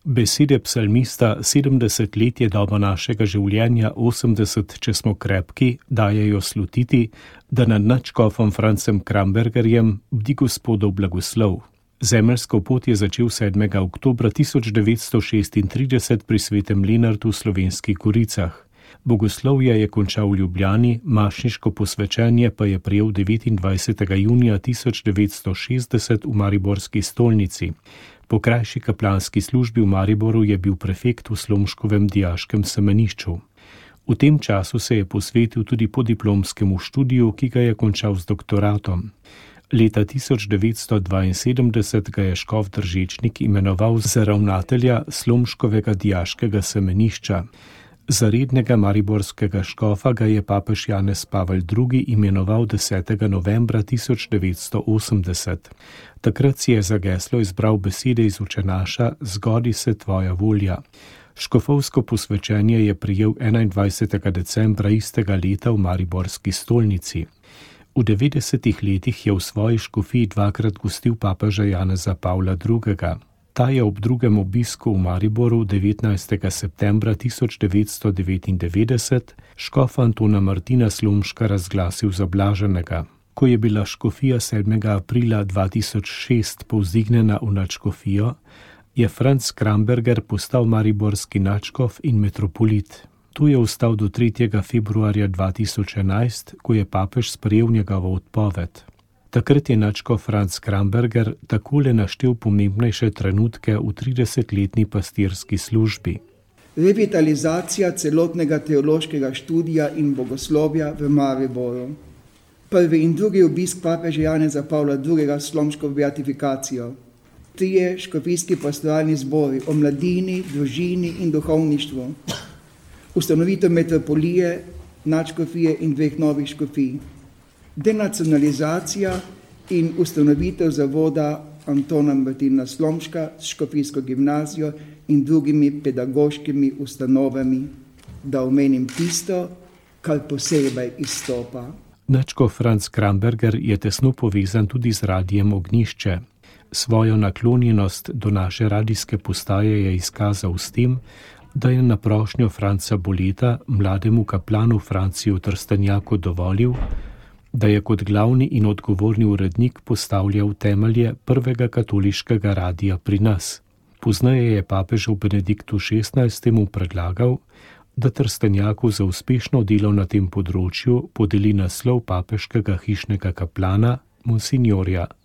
Besede psalmista 70 let je doba našega življenja, 80, če smo krepki, dajejo slutiti, da nad nadškofom Francem Krambergerjem bdi Gospodov blagoslov. Zemeljsko pot je začel 7. oktobra 1936 pri Svetem Lenartu v Slovenskih Goricah. Bogoslovje je končal v Ljubljani, mašniško posvečenje pa je prejel 29. junija 1960 v mariborski stolnici. Po krajši kaplanski službi v Mariboru je bil prefekt v Slomškovem dijaškem semenišču. V tem času se je posvetil tudi podiplomskemu študiju, ki ga je končal z doktoratom. Leta 1972 ga je škof Držečnik imenoval za ravnatelja Slomškovega dijaškega semenišča. Za rednega mariborskega škofa ga je papež Janez Pavel II. Imenoval 10. novembra 1980. Takrat si je za geslo izbral besede iz Očenaša Zgodi se tvoja volja. Škofovsko posvečenje je prejel 21. decembra istega leta v mariborski stolnici. V 90. letih je v svoji škofiji dvakrat gostil papeža Janeza Pavla II. Ta je ob drugem obisku v Mariboru 19. septembra 1999 škofa Antona Martina Slomška razglasil za blaženega. Ko je bila škofija 7. aprila 2006 povzdignjena v nadškofijo, je Franc Kramberger postal mariborski nadškof in metropolit. Tu je ostal do 3. februarja 2011, ko je papež sprejel njegovo odpoved. Takrat je nadškof Franc Kramberger takole naštel pomembnejše trenutke v 30-letni pastirski službi. Revitalizacija celotnega teološkega študija in bogoslovja v Mariboru. Prvi in drugi obisk papeža Janeza Pavla II. Slomškovo beatifikacijo. 3 škofijski pastoralni zbori o mladini, družini in duhovništvu. Ustanovitev metropolije, nadškofije in 2 novih škofij. Denacionalizacija in ustanovitev zavoda Antona Martina Slomška s škofijsko gimnazijo in drugimi pedagoškimi ustanovami, da omenim tisto, kar posebej izstopa. Nadškof Franc Kramberger je tesno povezan tudi z Radijem Ognjišče. Svojo naklonjenost do naše radijske postaje je izkazal s tem, da je na prošnjo Franca Boleta mlademu kaplanu Franciju Trstenjaku dovolil, da je kot glavni in odgovorni urednik postavljal temelje prvega katoliškega radija pri nas. Pozneje je papežu Benediktu XVI. Predlagal, da Trstenjaku za uspešno delo na tem področju podeli naslov papeškega hišnega kaplana, monsinjorja